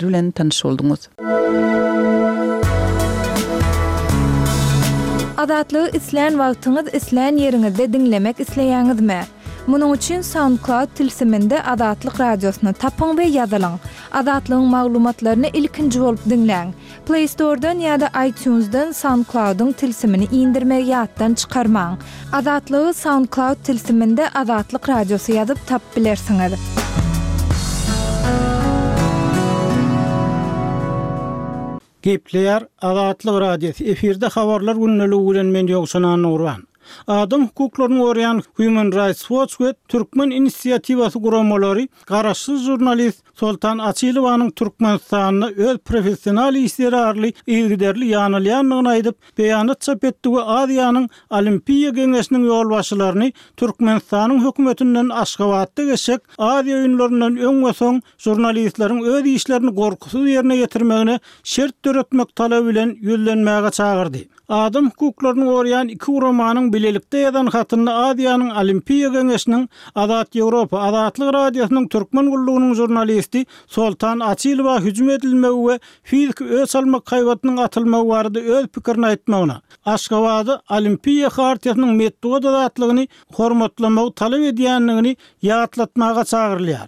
Bilen tanyş bolduňyz. Azatlygy islän wagtyňyz islän ýeriňizde diňlemek isleýäňizmi? Munuň üçin SoundCloud tilsiminde Azatlyk Radiosyny tapyň we ýazylyň. Azatlygyň maglumatlaryny ilkinji bolup diňläň. Play Store-dan ýa-da iTunes-dan SoundCloud-yň tilsimini indirmegi ýatdan çykarmaň. Azatlygy SoundCloud tilsiminde Azatlyk Radiosy ýazyp tapyp bilersiňiz. Gepleýär Azatlyk Radiosy, efirde Habarlar gündeligi bilen men Ýowşan Annagurban. Adam hukuklaryny goraýan Human Rights Watch we Türkmen inisiatiwasy guramalary garaşsyz žurnalist Soltan Açylowanyň Türkmenistanda öz professional işi zerarly yzygiderli ýanalýandygyny aýdyp, beýanat çap etdi we Aziýanyň Olimpiýa geňeşiniň ýolbaşçylaryny Türkmenistanyň hökümetinden Aşgabatda geçjek Aziýa oýunlaryndan öň we soň žurnalistleriň öz işlerini gorkusyz ýerine ýetirmegine şert döretmek talaby bilen ýüzlenmäge çagyrdy. Adam hukuklaryny goraýan iki guramanyň bilelikde ýazan hatynda Aziýanyň Olimpiýa geňeşiniň Azat Ýewropa, Azatlyk Radiosynyň Türkmen gullugynyň žurnalisti Soltan Açylowa hüjüm edilmegi we fiziki öç almak haýbatynyň atylmagy barada öz pikirini aýtmagyna, Aşgabada Olimpiýa Hartiýasynyň metbugat azatlygyny hormatlamagy talap edýändigini ýatlatmaga çagyrylýar.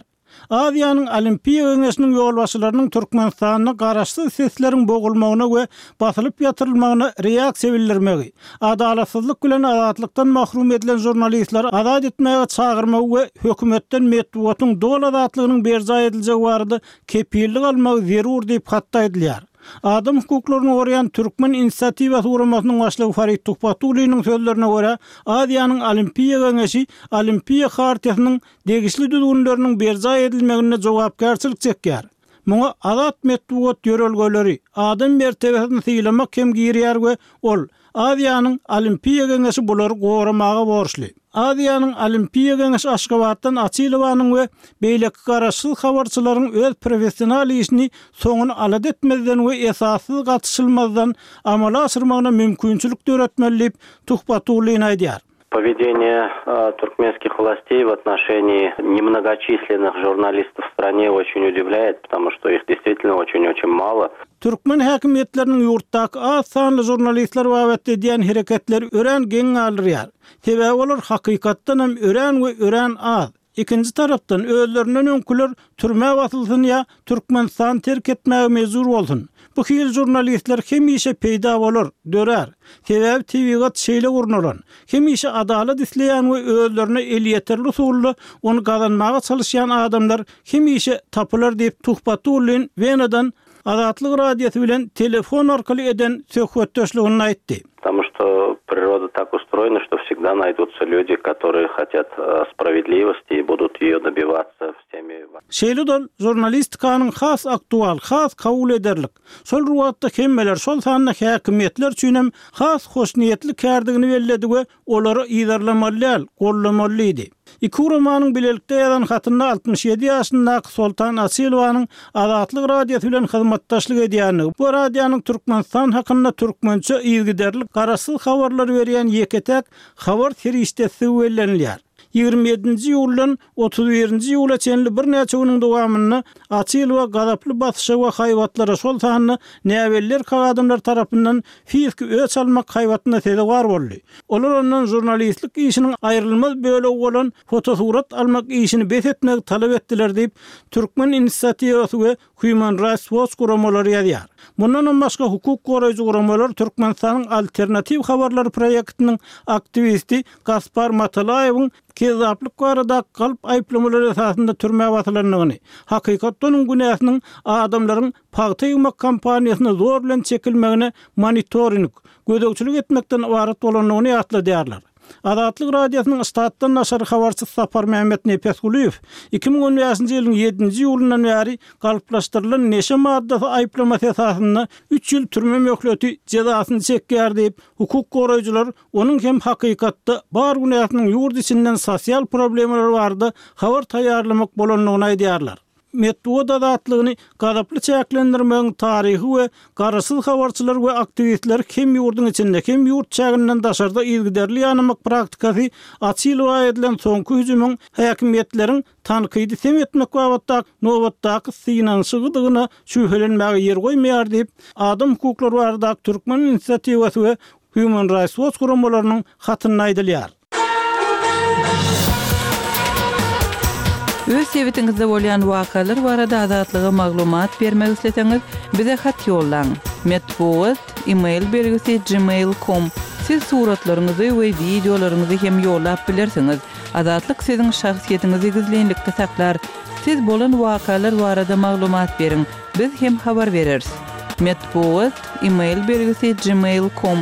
Aziýanyň Olimpiýa geňeşiniň ýolbaşçylarynyň Türkmenistanda garaşsyz sesleriň bogulmagyna we basylyp ýatyrylmagyna reaksiýa bildirmegi, adalatsyzlyk bilen azatlykdan mahrum edilen žurnalistleri azat etmäge çagyrmagy we hökümetden metbugatyň doly azatlygynyň berjaý ediljegi barada kepillik almagy zerur diýip hatda aýdylýar. Adam hukuklaryny goraýan Türkmen inisiatiwasy guramasynyň başlygy Farid Tuhbatulliniň sözlerine görä, Aziýanyň Olimpiýa geňeşi Olimpiýa Hartiýasynyň degişli düzgünleriniň berjaý edilmeginde jogapkärçilik çekýär. Muňa azat metbugat ýörelgeleri, adam mertebesini sylamak hem girýär we ol, Aziýanyň Olimpiýa Geňeşi bulary goramaga borçly. Aziýanyň Olimpiýa Geňeşi Aşgabatdan Açylowanyň we beýleki garaşsyz habarçylaryň öz professional işini soňuny alada etmezden we esassyz gatyşylmazdan amala aşyrmagyna mümkinçilik döretmeli diýip, Tuhbatullin aýdýar. Поведение туркменских властей в отношении немногочисленных журналистов в стране очень удивляет, потому что их действительно очень-очень мало. Türkmen häkimiýetleriniň ýurtdaky az sanly žurnalistler babatda edýän hereketleri örän geň galdyrýar. Sebäbi olar hakykatdan hem örän we örän az. Ikinji tarapdan, özlerinden öňküler türmä basylsyn ýa Türkmenistany terk etmäge mejbur bolsun. Bu hili žurnalistler hemişe peýda bolar, dörär. Sebäbi tebigat şeýle gurnalan. Hemişe adalat isleýän we özlerine elýeterli usulda ony gazanmaga çalyşýan adamlar hemişe tapylar diýip, Tuhbatullin Wenadan Azatlyk Radiosy bilen telefon arkaly eden söhbetdeşliginde aýtdy. Потому что природа так устроена, что всегда найдутся люди, которые хотят справедливости и будут ее добиваться всеми. Şeýle-de ol žurnalistikanyň has aktual, has kabul ederlik, şol bir wagtda hemmeler, şol sanda häkimiýetler üçinem has hoşniýetli kärdigini belledi we Olary yzarlamaly däl, goldamaly diýdi. Iki guramanyň bilelikde ýazan hatynda 67 ýaşyndaky Soltan Açylowanyň Azatlyk Radiosy bilen hyzmatdaşlyk edýändigi, bu radionyň Türkmenistan hakynda türkmençe yzygiderli garaşsyz habarlary berýän ýeke-täk habar serişdesidigi bellenilýär. 27-nji iýuldan 31-nji iýula çenli birnäçe günüň dowamynda Açylowa gazaply basyşa we haýbatlara, şol sanda näbelli erkek adamlar tarapyndan fiziki öç almak haýbatyna sezewar boldy. Olar ondan žurnalistlik işiniň aýrylmaz bölegi bolan fotosurat almak işini bes etmegi talap etdiler diýip, Türkmen inisiatiwasy we Human Rights Watch guramalary ýazýar. Mundanam başga hukuk goraýjy guramalar Türkmenistanyň Alternatiw habarlary proýektiniň aktiwisti Gaspar Matalaýewiň kezzaplyk baradaky galp aýyplamalar esasynda türmä basylandygyny, hakykatda onuň günäsiniň adamlaryň pagta ýygmak kampaniýasyna zor bilen çekilmegine monitoring, gözegçilik etmekden ybarat bolandygyny ýatladýarlar. Azatlyk Radiosynyň ştatdan daşary habarçysy Saparmämmet Nepesgulyýew 2015-nji ýylyň ýedinji iýulyndan bäri galplaşdyrylan neşe maddasy aýyplamasy esasynda üç ýyl türme möhleti jezasyny çekýär diýip, hukuk goraýjylar Onuň hem hakykatda bar günäsiniň ýurt içinden sosial problemalar barada habar taýýarlamak bolandygyny aýdýarlar. metbugat azatlygyny gazaply çäklendirmegiň taryhy we garaşsyz habarçylary we aktiwistleri hem ýurduň içinde, hem ýurt çäginden daşarda yzygiderli ýanamak praktikasy açylyp edilen soňky hüjümiň häkimiýetleriň tankydy sem etmek babatdaky nobatdaky synanyşygydygyna şübhelenmäge ýer goýmaýar diýip, adam hukuklary baradaky Türkmen inisiatiwasy we Human Rights Watch guramalarynyň hatynda aýdylýar. Öz sebitiňizde bolýan wakalar barada Azatlyga maglumat bermek isleseňiz, bize hat ýollaň. Metbugat, e-mail belgisi gmail com. Siz suratlaryňyzy we wideolaryňyzy hem ýollap bilersiňiz. Azatlyk siziň şahsyýetiňizi gizlinlikde saklar. Siz bolan wakalar barada maglumat beriň, biz hem habar bereris. Metbugat, e-mail belgisi gmail com.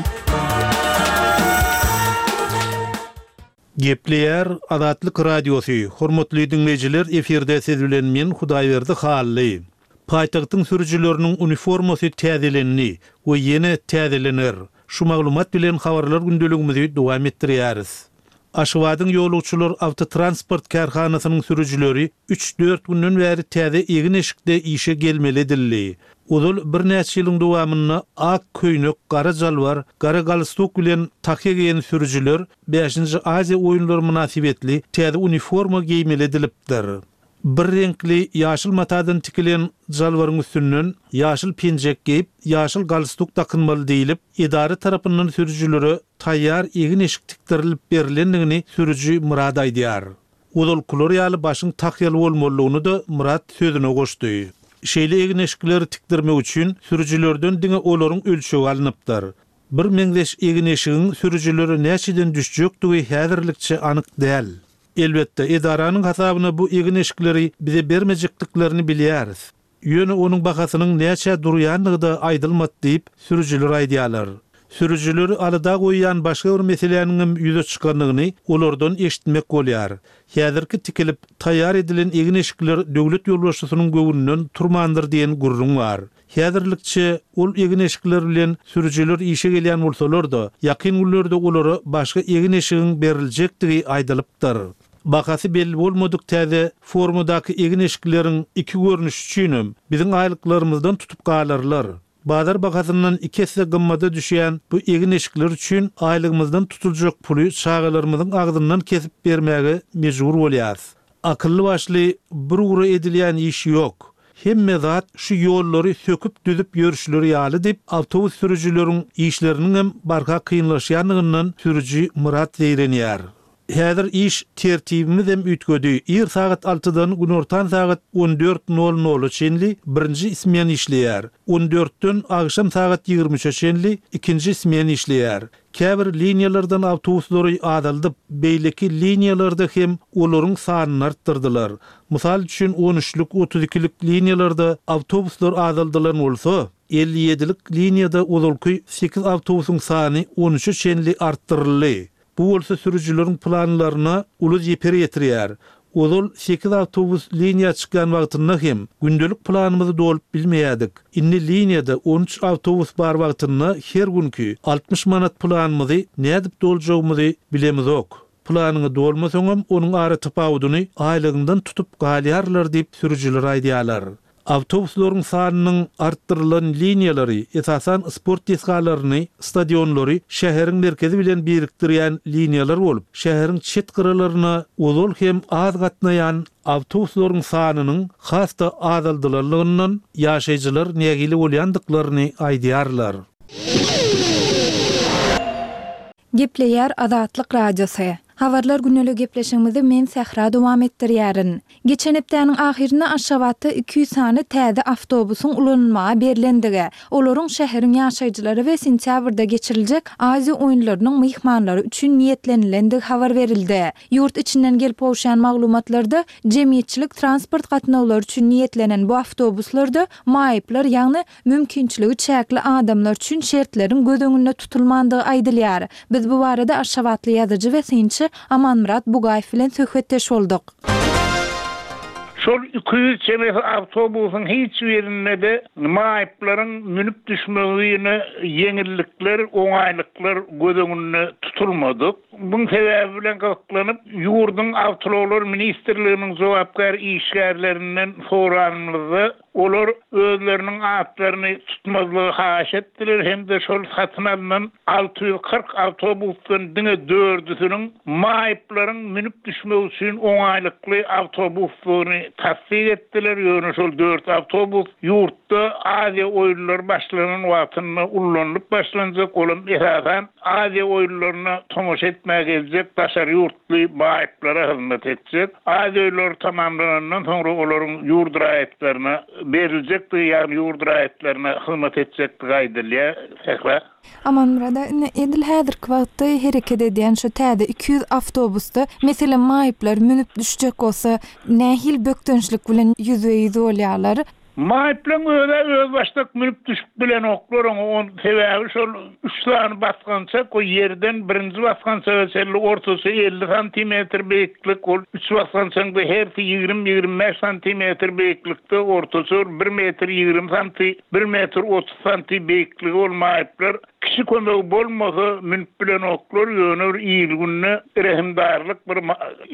Gepleýär Azatlyk Radiosy, Hormatly diňleýjiler efirde siz bilen men Hudaýberdi Hally. Paýtagtyň sürüjileriniň uniformasy täzelendi we ýene täzelener. Şu maglumat bilen habarlar gündeligimizi dowam etdirýäris. Aşgabadyň ýolagçylar awtotransport kärhanasynyň sürüjileri üç-dört günden bäri täze egin-eşikde işe gelmeli edildi. Ozal birnäçe ýylyň dowamynda ak köýnek, gara jalbar, gara galstuk bilen tahýa geýen sürüjiler Bäşinji Aziýa oýunlary mynasybetli täze uniforma geýmeli edilipdir. Bir reňkli ýaşyl matadan tikilen jalbaryň üstünden ýaşyl penjek geýip, ýaşyl galstuk dakynmaly diýlip, edara tarapyndan sürüjilere taýýar egin-eşik tikdirilip berlendigini sürüji Myrat aýdýar. Ozalkylar ýaly başyň tahýaly bolmalydygyny-da Myrat sözüne goşdy. Şeýle egin-eşikleri tikdirmek üçin sürüjilerden diňe olaryň ölçegi alnypdyr. Bir meňzeş egin-eşigiň sürüjilere näçeden düşjekdigi häzirlikçe anyk däl. Elbetde, edaranyň hasabyna bu egin-eşikleri bize bermejekdiklerini bilýäris. Ýöne onuň bahasynyň näçä durýandygy-da aýdylmady diýip, sürüjiler aýdýarlar. Sürüjileri alada goýýan başga bir meseläniňem ýüze çykandygyny olardan eşitmek bolýar. Häzirki tikilip, taýýar edilen egin-eşikler döwlet ýolbaşçysynyň göwnünden turmandyr diýen gürrüň bar. Häzirlikçe ol egin-eşikler bilen sürüjiler işe gelýän bolsalar-da, ýakyn günlerde olara başga egin-eşigiň beriljekdigi aýdylypdyr. Bahasy belli bolmadyk täze formadaky egin-eşikleriň iki görnüşi üçinem biziň aýlyklarymyzdan tutup galarlar. Bazar bahasyndan iki esse gymmada düşýän bu egin-eşikler üçin aýlygymyzdan tutuljak puly çagalarymyzyň agzyndan kesip bermäge mejbur bolýarys. Akylly-başly bir ugra edilýän iş ýok. Hemme zat şu ýollary söküp-düzüp ýörüşleri ýaly diýip, awtobus sürüjileriň işleriniňem barha kynlaşýandygyndan sürüji Myrat zeýrenýär. Häzir iş tertibimizem üýtgedi. Ir sagat altydan günortan sagat on dört nol nola çenli birinji smen işleýär. On dörtden agşam sagat 23-e çenli ikinji smen işleýär. Käbir liniýalardan awtobuslary azaldyp, beýleki liniýalarda hem olaryň sanyny artdyrdylar. Mysal üçin, on üçlük, 32-lik liniýalarda awtobuslar azaldylan bolsa, 57-lik liniýada ozalky sekiz awtobusyň sany on üçe çenli artdyryldy. Bu bolsa sürüjileriň planlaryna uly zeper ýetirýär. Ozal sekiz awtobus liniýa çykýan wagtynda hem gündelik planymyzy dolup bilmeýärdik. Indi liniýada 13 awtobus bar wagtynda her günki 60 manat planymyzy nädip doljagymyzy bilemizok. Planyňy dolmasaňam onuň aratapawudyny aýlygyňdan tutup galýarlar diýip sürüjiler aýdýarlar. Awtobuslaryň sanynyň artdyrylan liniýalary, esasan, sport desgalaryny, stadionlary şäheriň merkezi bilen birikdirýän liniýalar bolup, şäheriň çet gyralaryna ozal hem az gatnaýan awtobuslaryň sanynyň has-da azaldylanlygyndan ýaşaýjylar nägile bolýandyklaryny aýdýarlar. Gepleýär Azatlyk Radiosy. Habarlar gündelik gepleşigimizi men Sähra dowam etdirýärin. Geçen hepdäniň ahyrynda Aşgabatda 200 sany täze awtobusyň ulanylmaga berlendigi, olaryň şäheriň ýaşaýjylary we sentýabrda geçiriljek Aziýa oýunlarynyň myhmanlary üçin niýetlenilendigi habar berildi. Ýurt içinden gelip gowuşýan maglumatlarda, jemgyýetçilik transport gatnawlary üçin niýetlenen bu awtobuslarda maýyplar, ýagny mümkinçiligi çäkli adamlar üçin şertleriň göz öňünde tutulmandygy aýdylýar. Biz bu barada aşgabatly ýazyjy we synçy Amanmyrat Bugaýew bilen söhbetdeş bolduk. Şu. Şol 200 çemesi awtobusyň hiç birinde-de maýyplaryň münüp düşmegine ýeňillikler, oňaýlyklar göz öňünde tutulmadyk. Muň sebäbi bilen gyzyklanyp, ýurduň Awtoulaglar ministrliginiň jogapkär işgärlerinden soranymyzda, olar özleriniň atlaryny tutmazlygy haýyş etdiler hem-de şol satyn alnan 640 awtobusdan diňe dördüsiniň maýyplaryň münüp düşmegi üçin oňaýlykly awtobusdygyny tassyk etdiler, ýöne şol dört awtobus ýurtda Aziýa oýunlary başlanan wagtynda ullanylyp başlanjak, olam esasan Aziýa oýunlaryna tomaşa etmäge geljek daşary ýurtly maýyplara hyzmat etjek. Aziýa oýunlary tamamlanandan soňra olaryň ýurt raýatlaryna beriljekdigi, ýagny ýurt raýatlaryna hyzmat etjekdigi aýdylýar. Sähra. Amanmyrat aga, indi edil häzirki wagtda hereket edýän şu täze 200 awtobusda, meselem, maýyplar münüp düşjek bolsa, nähili bökdençlik bilen ýüzbe-ýüz bolýarlar? Maýyplaň özä özbaşdak münüp düşüp bilenoklar oňa on sebäbi şol üç sany basgançak o ýerden birinji basgançaga çenli ortaça 50 santimetr beýiklik ol üç basgançaňda hersi ýigrimi 25 santimetr beýiklikde ortaça bir metr 20 santi bir metr 30 santi beýikligi ol maýyplar kişi kömegi bolmasa münüp bilenoklar ýöne bir il günde rehimdarlyk bir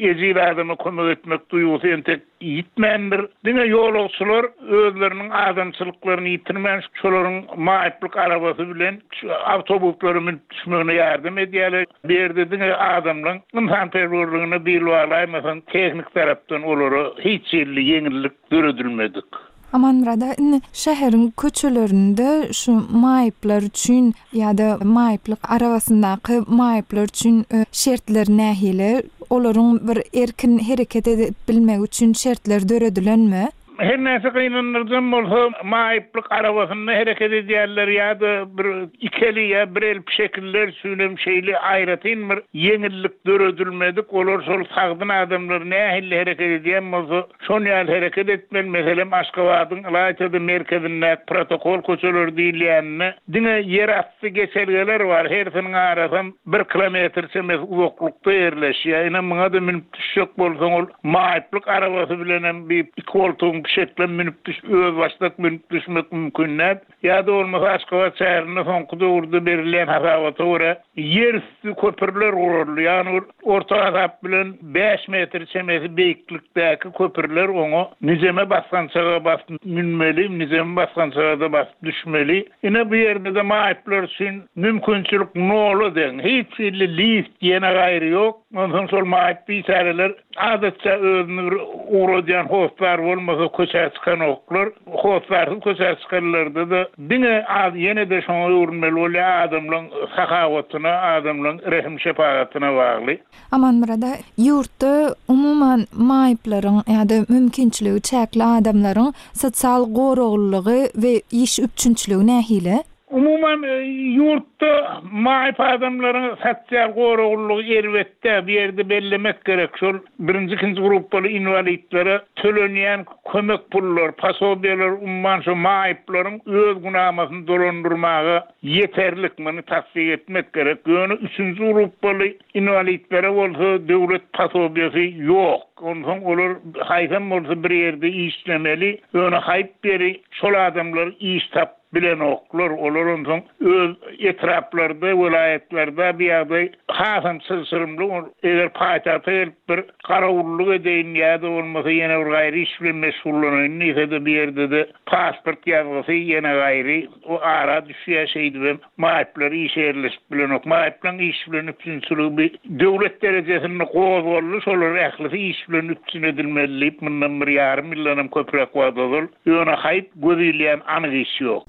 ejiz adama kömek etmek duýgusy entek Ýitmändir. Diňe ýolagçylar özleriniň adamçylyklaryny ýitirmän, şolaryň maýyplyk arabasy bilen şu awtobuslara münüp düşmegine ýardam edýärler. Bu ýerde diňe adamlaryň ynsanperwerligine bil baglaýmasaň, tehnik tarapdan olara hiç hili ýeňillik döredilmedik. Amanmyrat aga, indi şäheriň köçelerinde şu maýyplar üçin ýa-da maýyplyk arabasyndaky maýyplar üçin şertler nähili? Olaryň bir erkin hereket edip bilmegi üçin şertler döredilenmi? Her näçe gynandyryjam bolsa, maýyplyk arabasynda hereket edýänler ýa-da bir iki eli ýa bir el pişekliler üçinem şeýle aýratyn bir ýeňillik döredilmedik. Olar şol sagdyn adamlar nähili hereket edýän bolsa, Şon ýaly hereket etmeli, meselem, Aşgabadyň, ylaýta-da merkezindäki protokol köçeleri diýilýäninde diňe ýerasty geçelgeler bar, hersiniň arasam bir kilometr çemesi uzaklykda ýerleşýär. Ine, muňa-da münüp düşjek bolsaň, ol maýyplyk arabasy bilenem bir iki goltugyň pişeklem münüp düş, özbaşdak münüp düşmek mümkin däl. Ýa-da bolmasa Aşgabat şäherinde soňky döwürde berilýän hasabata görä, ýerüsti köprüler guruldy. Ýagny bir orta hasap bilen bäş metr çemesi beýiklikdäki köprüler oňa nijeme basgançaga basyp münmeli, nijeme basgançaga-da basyp düşmeli. Ine bu ýerde-de maýyplar üçin mümkinçilik nola deň. Hiç hili lift ýene gaýry ýok. Onsoň şol maýyp biçäreler adatça özüni bir ugradýan hossar bolmasa köçä çykanoklar. Hossarsyz köçä çykanlarda-da diňe az ýene-de şoňa öwrülmeli bolýar, adamlaň sahawatyna, adamlaň rehim-şepagatyna bagly. Amanmyrat aga, ýurtda umuman maýyplaryň ýa-da mümkinçiligi çäkli adamlaryň sosial goraglylygy we iş üpjünçiligi nähili? Umuman, ýurtda maýyp adamlaryň sosial goraglylygy erbet däl. Bu ýerde bellemek gerek, şol birinji, ikinji gruppaly inwalidlere tölenýän kömek pullar, posobiýalar umuman şo maýyplaryň öz günamasyny dolandyrmaga ýeterlik, muny tassyk etmek gerek. Ýöne üçünji gruppaly inwalidlere bolsa döwlet posobiýasy ýok. Onsoň olar haýsam bolsa bir ýerde işlemeli, ýöne haýp ýeri şol adamlar iş tap Bilenoklar, olar onsoň öz etraplarda, welaýatlarda bu ýagdaý hasam çylşyrymly, eger paýtagta gelip bir garawullyk edeýin ýa-da bolmasa ýene bir gaýry iş bilen meşgullanaýyn diýse-de bu ýerde-de pasport ýazgysy ýene gaýry o ara düşýär, şeýdibem maýyplar işe ýerleşip bilenok. Maýyplaryň iş bilen üpjünçiligi bir döwlet derejesinde gozgaldy, şolar ählisi iş bilen üpjün edilmeli diýip mundan bir ýarym ýyldanam köpräk wagt ozal Ýöne haýp göz ilýän anyk iş ýok.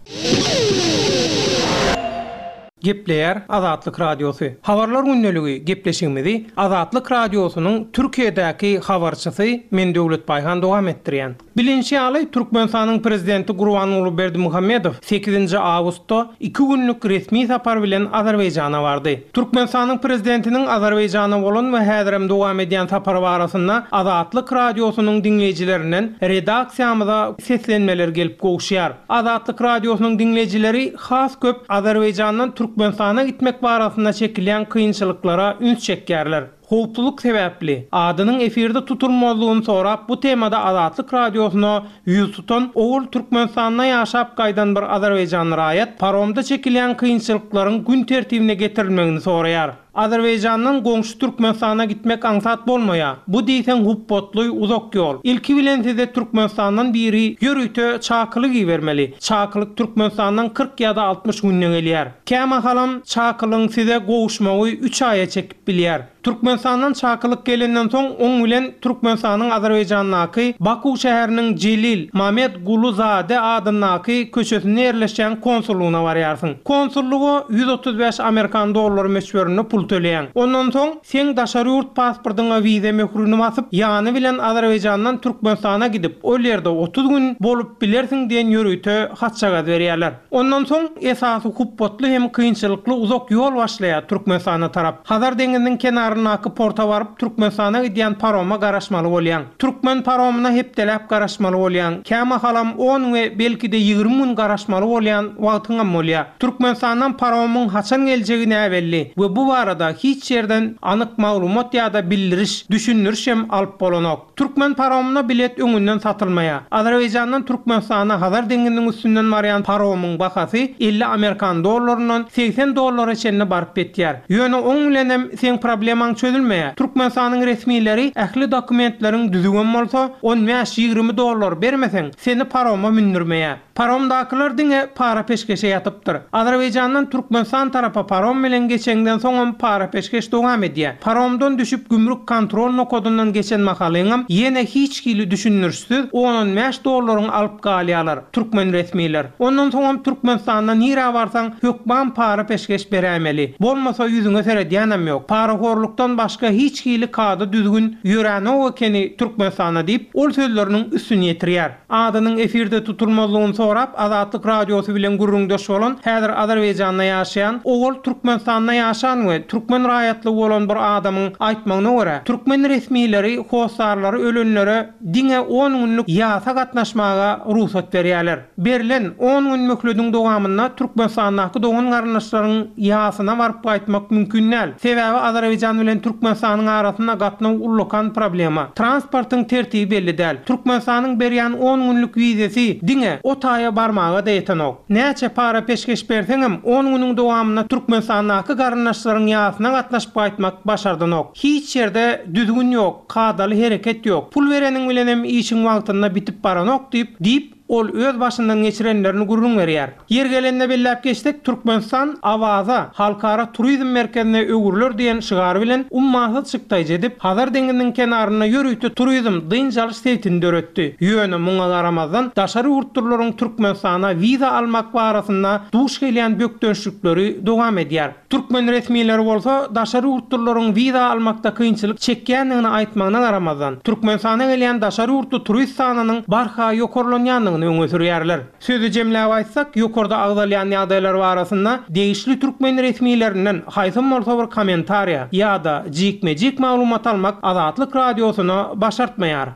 Gepleýär Azatlyk Radiosy. Habarlar gündeligi gepleşigimizi Azatlyk Radiosynyň Türkiýedäki habarçysy men Döwlet Baýhan dowam etdirýän. Bilinşi ýaly, Türkmenistanyň Prezidenti Gurbanguly Berdimuhamedow sekizinji awgustda iki günlük resmi sapar bilen Azerbaýjana bardy. Türkmenistanyň Prezidentiniň Azerbaýjana bolan we häzirem dowam edýän sapary barasynda Azatlyk Radiosynyň diňleýjilerinden redaksiýamyza seslenmeler gelip gowuşýar. Azatlyk Radiosynyň diňleýjileri has köp Azerbaýjandan Türkmenistana gitmek barasynda çekilýän kynçylyklara üns çekýärler. Howpsuzlyk sebäpli, adynyň efirde tutulmazlygyny sorap bu temada Azatlyk Radiosyna ýüz tutan, owal Türkmenistanda ýaşap gaýdan bir azerbaýjanly raýat paromda çekilýän kynçylyklaryň gün tertibine getirilmegini soraýar. Azerbaýjandan goňşy Türkmenistana gitmek aňsat bolmaýar. Bu diýseň hupbatly, uzak ýol. Ilki bilen size Türkmenistandan biri ýörite çakylyk ibermeli. Çakylyk Türkmenistandan 40 ýa-da 60 günde gelýär. Kämahalam çakylygyň size gowuşmagy üç aýa çekip bilýär. Türkmenistandan çakylyk gelenden soň oň bilen Türkmenistanyň Azerbaýjandaky Baku şäheriniň Jelil Mamed Gulu Zade adyndaky köçesinde ýerleşýän konsullygyna barýarsyň. Konsullyga 135 amerikan dollary möçberinde pul töleýäň. Ondan soň seň daşary ýurt pasportyňa wiza möhrüni basyp, ýany bilen Azerbaýjandan Türkmenistana gidip, ol ýerde 30 gün bolup bilersiň diýen ýörite hatjagaz berýärler. Ondan soň esasy hupbatly hem kynçylykly uzak ýol başlaýar Türkmenistana tarap. Hazar deňiziniň kenaryndaky porta baryp Türkmenistana gidýän paroma garaşmaly bolýaň. Türkmen paromyna hepdeläp garaşmaly bolýaň. Kämahalam on we belki-de 20 gün garaşmaly bolýan wagtyňam bolýar. Türkmenistandan paromyň haçan geljegi näbelli we bu barada hiç ýerden anyk maglumat ýa-da bildiriş, düşündiriş hem alyp bolanok. Türkmen paromyna bilet öňünden satylmaýar. Azerbaýjandan Türkmenistana Hazar deňziniň üstünden barýan paromyň bahasy 50 amerikan dollaryndan 80 dollara çenli baryp ýetýär. Ýöne oň bilenem seň problemaň çözülmeýär. Türkmenistanyň resmileri ähli dokumentleriň düzüwem bolsa, on bäş-ýigrimi dollar bermeseň, seni paroma mündürmeýär. Paromdakylar diňe para-peşgeşe ýatypdyr. Azerbaýjandan Türkmenistan tarapa parom bilen geçeňden soňam para-peşgeş dowam edýär. Paromdan düşüp gümrük kontrol nokadyndan geçen mahalyňam ýene hiç hili düşündirişsiz on-on bäş dollaryňy alyp galýarlar, türkmen resmiler. Ondan soňam Türkmenistanda nirä barsaň hökman para-peşgeş beräýmeli. Bolmasa ýüzüňe seredýänem ýok. Parahorlukdan başga hiç hili kada-düzgün ýöränok ekeni Türkmenistanda diýip, ol sözleriniň üstüni ýetirýär. Adynyň efirde tutulmazlygyny sorap, Azatlyk Radiosy bilen gürrüňdeş bolan, häzir Azerbaýjanda ýaşaýan, owal Türkmenistanda ýaşan we türkmen raýatlygy bolan bir adamyň aýtmagyna görä, türkmen resmileri hossarlary ölenlere diňe on günlük ýasa gatnaşmaga rugsat berýärler. Berlen on gün möhlediň dowamynda Türkmenistandaky dogan-garyndaşlaryň ýasyna baryp gaýtmak mümkin däl. Sebäbi Azerbaýjan bilen Türkmenistanyň arasynda gatnaw ullakan problema. Transportyň tertibi belli däl. Türkmenistanyň berýän on günlük wizesi diňe o taýa barmaga-da ýetenok. Näçe para-peşgeş berseňem, on günüň dowamynda Türkmenistandaky garyndaşlaryň ýasyna gatnaşyp gaýtmak başardanok. Hiç ýerde düzgün ýok, kadaly hereket ýok. Pul bereniň bilenem işiň wagtynda bitip baranok diýip, diýip, Ol öz başyndan geçirenlerini gürrüň berýär. Ýeri gelende belläp geçsek, Türkmenistan Awaza halkara turizm merkezine öwrüler diýen şygar bilen ummasyz çykdaýjy edip, Hazar deňziniň kenarynda ýörite turizm dynç alyş sebitini döretdi. Ýöne muňa garamazdan, daşary ýurtlylaryň Türkmenistana wiza almak barasynda duş gelýän bökdençlikleri dowam edýär. Türkmen resmileri bolsa daşary ýurtlylaryň wiza almakda kynçylyk çekýändigini aýtmagyna garamazdan, Türkmenistana gelýän daşary ýurtly turist sanynyň barha ýokarlanýandygyny öňe sürýärler. Sözi jemläp aýtsak, ýokarda agzalýan ýagdaýlar barasynda degişli türkmen resmilerinden haýsam bolsa bir kommentariýa ýa-da jikme-jik maglumat almak Azatlyk Radiosyna başartmaýar.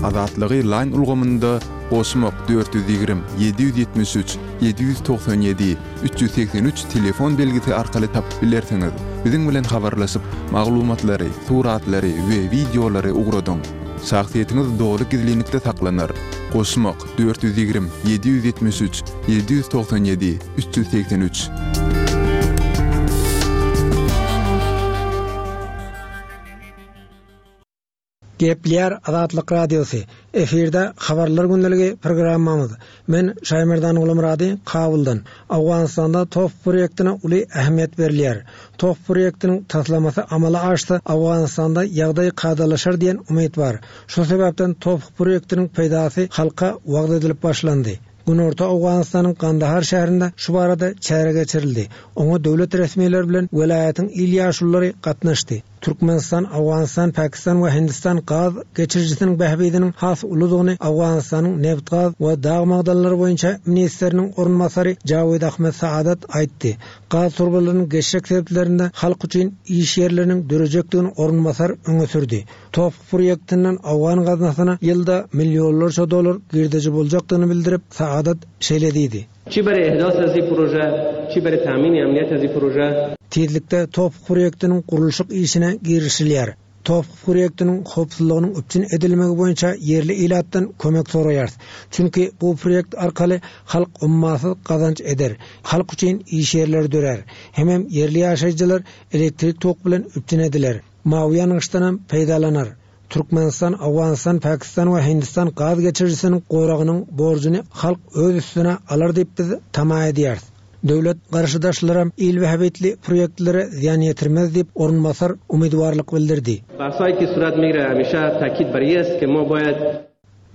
Azatlygy Line ulgamynda goşmak 420 773 797 383 telefon belgisi arkaly tapyp bilersiňiz. Biziň bilen habarlaşyp, maglumatlary, suratlary we wideolary ugradyň. Şahsyýetiňiz doly gizlinlikde saklanar. Goşmak 420 773 797 383. Gepleýär Azatlyk Radiosy. Efirde Habarlar gündeligi programmamyz. Men Şaýmerdan Gulumyrady Kabuldan. Owganystanda TOP proýektine uly ähmiýet berilýär. TOP proýektiniň taslamasy amala aşsa, Owganystanda ýagdaý kadalaşar diýen umyt bar. Şu sebäpden TOP proýektiniň peýdasy halka wagyz edilip başlandy. Günorta Owganystanyň Gandahar şäherinde şu barada çäre geçirildi. Oňa döwlet resmileri bilen welaýatyň il ýaşululary gatnaşdy. Türkmenistan, Owganystan, Pakistan we Hindistan gaz geçirijisiniň bähbidiniň has uludygyny Owganystanyň nebit-gaz we dag magdanlary boýunça ministriniň orunbasary Jawid Ahmed Saadat aýtdy. Gaz turbalarynyň geçjek sebitlerinde halk üçin iş ýerleriniň dörejekdigini orunbasar öňe sürdi. TOPH proýektinden owgan gaznasyna ýylda millionlarça dollar girdeji boljakdygyny bildirip, Saadat şeýle diýdi. Çi bere ihdas ezi proje. چی برای تامین امنیت از این پروژه. Tizlikde TOPH proýektiniň gurluşyk işine girişilýär. TOPH proýektiniň howpsuzlygynyň üpjün edilmegi boýunça ýerli ilatdan kömek soraýarys. Çünki bu proýekt arkaly halk ummasyz gazanç eder, halk üçin iş ýerleri dörär. Hemem ýerli ýaşaýjylar elektrik tok bilen üpjün ediler, mawy ýangyçdanam peýdalanar. Türkmenistan, Owganystan, Pakistan we Hindistan gaz geçirijisiniň goragynyň borjuny halk öz üstüne alar diýip biz tama edýäris. Döwlet garşydaşlaram il bähbitli proýektlere zyýan ýetirmez diýip, orunbasar umydwarlyk bildirdi. Bahsایی ki surat migire hamisha takid bar i ast ke ma bayad.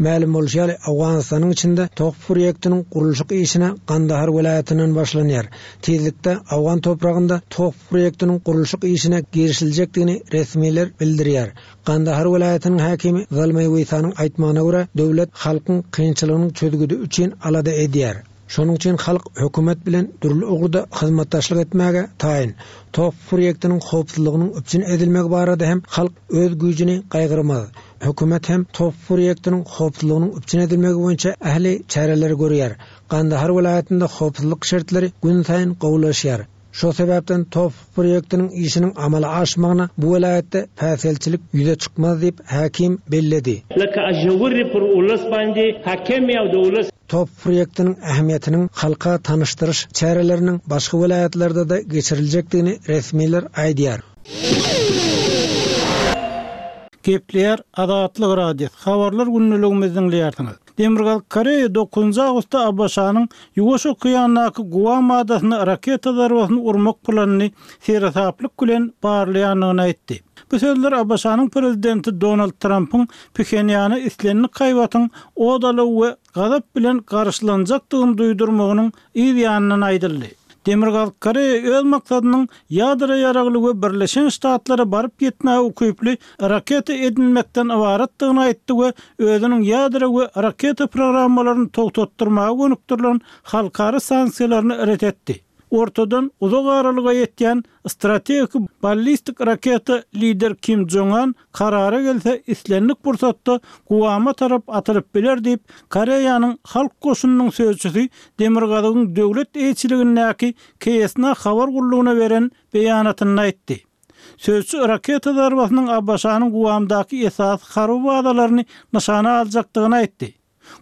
Mälim bolşy ýaly, Owganystanyň içinde TOPH proýektiniň gurluşyk işine Gandahar welaýatyndan başlanýar. Tizlikde owgan topragynda TOPH proýektiniň gurluşyk işine girişiljekdigini resmiler bildirýär. Gandahar welaýatynyň häkimi Zalmaý Weýsanyň aýtmagyna görä, döwlet halkyň kynçylygynyň çözgüdi üçin alada edýär. Şonuň üçin halk hökümet bilen dürli ugurda hyzmatdaşlyk etmäge taýyn. TOPH proýektiniň howpsuzlygynyň üpjün edilmegi barada hem halk öz güýjüni gaýgyrmaz. Hökümet hem TOPH proýektiniň howpsuzlygynyň üpjün edilmegi boýunça ähli çäreleri görýär. Gandahar welaýatynda howpsuzlyk şertleri günsaýyn gowulaşýar. Şol sebäpden TOPH proýektiniň işiniň amala aşmagyna bu welaýatda päsgelçilik ýüze çykmaz diýip, häkim belledi. لکه ژورې پر اولس باندې حاکمې او د اولس. TOPH proýektiniň ähmiýetiniň halka tanyşdyryş çäreleriniň başga welaýatlarda-da geçiriljekdigini resmiler aýdýar. Gepleýär Azatlyk Radiosy, Habarlar gündeligimizi diňleýärsiňiz. Demirgazyk Koreýa dokuzynjy awgustda ABŞ-nyň Ýuwaş okeandaky Guam adasyna raketa zarbasyny urmak planyny seresaplyk bilen barlaýandygyny aýtdy. Bu sözler ABŞ-nyň prezidenti Donald Trampyň Phenýana islendik haýbatyň ot alaw we gazap bilen garşylanjakdygyny duýdurmagynyň yz ýanyndan aýdyldy. Demirgazyk Koreýa öz maksadynyň ýadro ýaragly we Birleşen Ştatlara baryp ýetmäge ukyply raketa edinmekden ybaratdygyny aýtdy we özüniň ýadro we raketa programmalaryny togtatdyrmaga gönükdirilen halkara sanksiýalaryny ret etdi. Ortadan uzak aralyga ýetýän strategik ballistik raketa lider Kim Jong An karara gelse islendik pursatda Guama tarap atylyp biler diýip, Koreýanyň Halk goşunynyň sözçüsi Demirgazygyň döwlet eýeçiligindäki KSNA habar gullugyna beren beýanatynda aýtdy. Sözçi raketa zarbasynyň ABŞ-nyň Guamdaky esasy harby bazalaryny nyşana aljakdygyny aýtdy.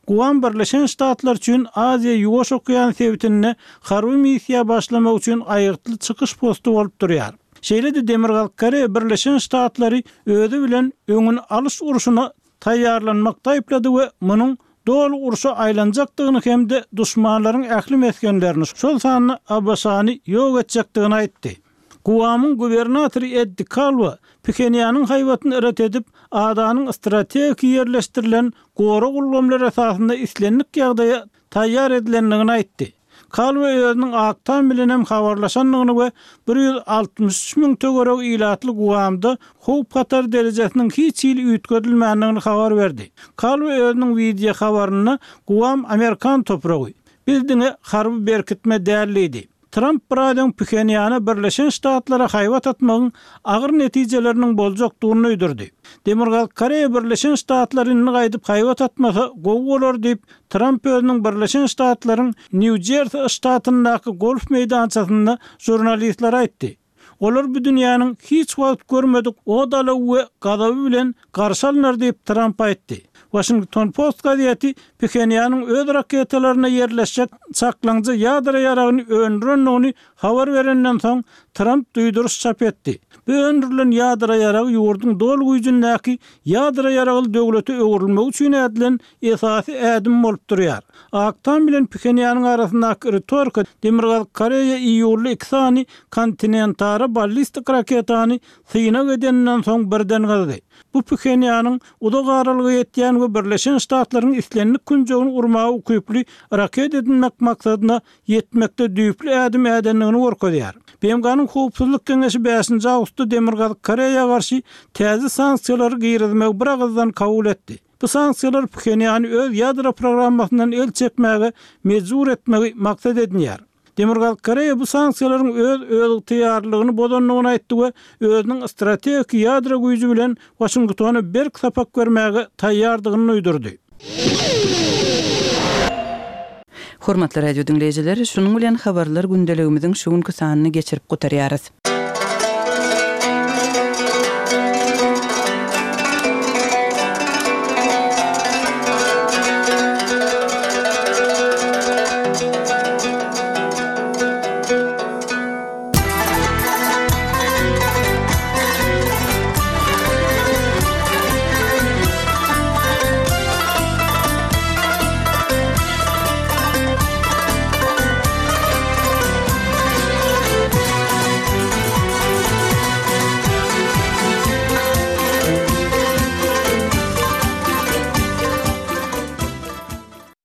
Guam Birleşen Ştatlar üçin Aziýa-Ýuwaş okean sebitinde harby missiýa başlamak üçin aýgytly çykyş posty bolup durýar. Şeýle-de Demirgazyk Koreýa Birleşen Ştatlary özi bilen öňüni alyş urşuna taýýarlanmakda aýyplady we munuň doly urşa aýlanjakdygyny hem-de duşmanlaryň ähli mesgenlerini, şol sanda ABŞ-ny ýok etjekdigini aýtdy. Guamyň gubernatory Eddi Kalwa Phenýanyň haýbatyny ret edip, adanyň strategik ýerleşdirilen gorag ulgamlary esasynda islendik ýagdaýa taýýar edilendigini aýtdy. Kalwa özüniň Ak Tam bilen hem habarlaşandygyny we 163 müň töweregi ilatly Guamda howp-hatar derejesiniň hiç hili üýtgedilmändigini habar berdi. Kalwa özüniň wideo habarynda Guam amerikan topragy. Biz diňe harby berkitme däl diýdi. Tramp biraz öň Phenýana Birleşen Ştatlara haýbat atmagyň agyr netijeleriniň boljakdygyny duýdurdy. Demirgazyk Koreýa Birleşen Ştatlar indi gaýdyp haýbat atmasa gowy bolar diýip, Tramp özüniň Birleşen Ştatlaryň Nýu-Jersi ştatyndaky golf meýdançasynda žurnalistlere aýtdy. Olar bu dünýäniň hiç wagt görmedik ot-alawy we gazaby bilen garşy alnar diýip, Tramp aýtdy. Waşington Post gazeti Phenýanyň öz raketalarynda ýerleşjek çaklaňja ýadro ýaragyny öndürendigini habar berenden soň, Tramp duýduryş çap etdi. Bu öndürilen ýadro ýaragy ýurduň doly güýjündäki ýadro ýaragly döwlete öwrülmegi üçin ädilen esasy ädim bolup durýar. Ak Tam bilen Phenýanyň arasyndaky ritorika Demirgazyk Koreýa iýulda iki sany kontinentara ballistik raketany synag edeninden soň birden gyzdy. Bu Phenýanyň uzak aralyga ýetýän we Birleşen Ştatlaryň islendik künjegini urmaga ukyply raket edinmek maksadyna ýetmekde düýpli ädim ädendigini görkezýär. BMG-niň Howpsuzlyk Geňeşi bäşinji awgustda Demirgazyk Koreýa garşy täze sanksiýalary girizmegi biragyzdan kabul etdi. Bu sanksiýalar Phenýany öz ýadro programmasyndan el çekmäge mejbur etmegi maksat edinýär. Demirgazyk Koreýa bu sanksiýalaryň öz özygtyýarlylygyny bozandygyny aýtdy we özüniň strategik ýadro güýji bilen Waşingtona berk sapak bermäge taýýardygyny duýdurdy. Hormatly radio diňleýjiler, şunuň bilen habarlar gündeligimiziň şu günki sanyny geçirip gutarýarys.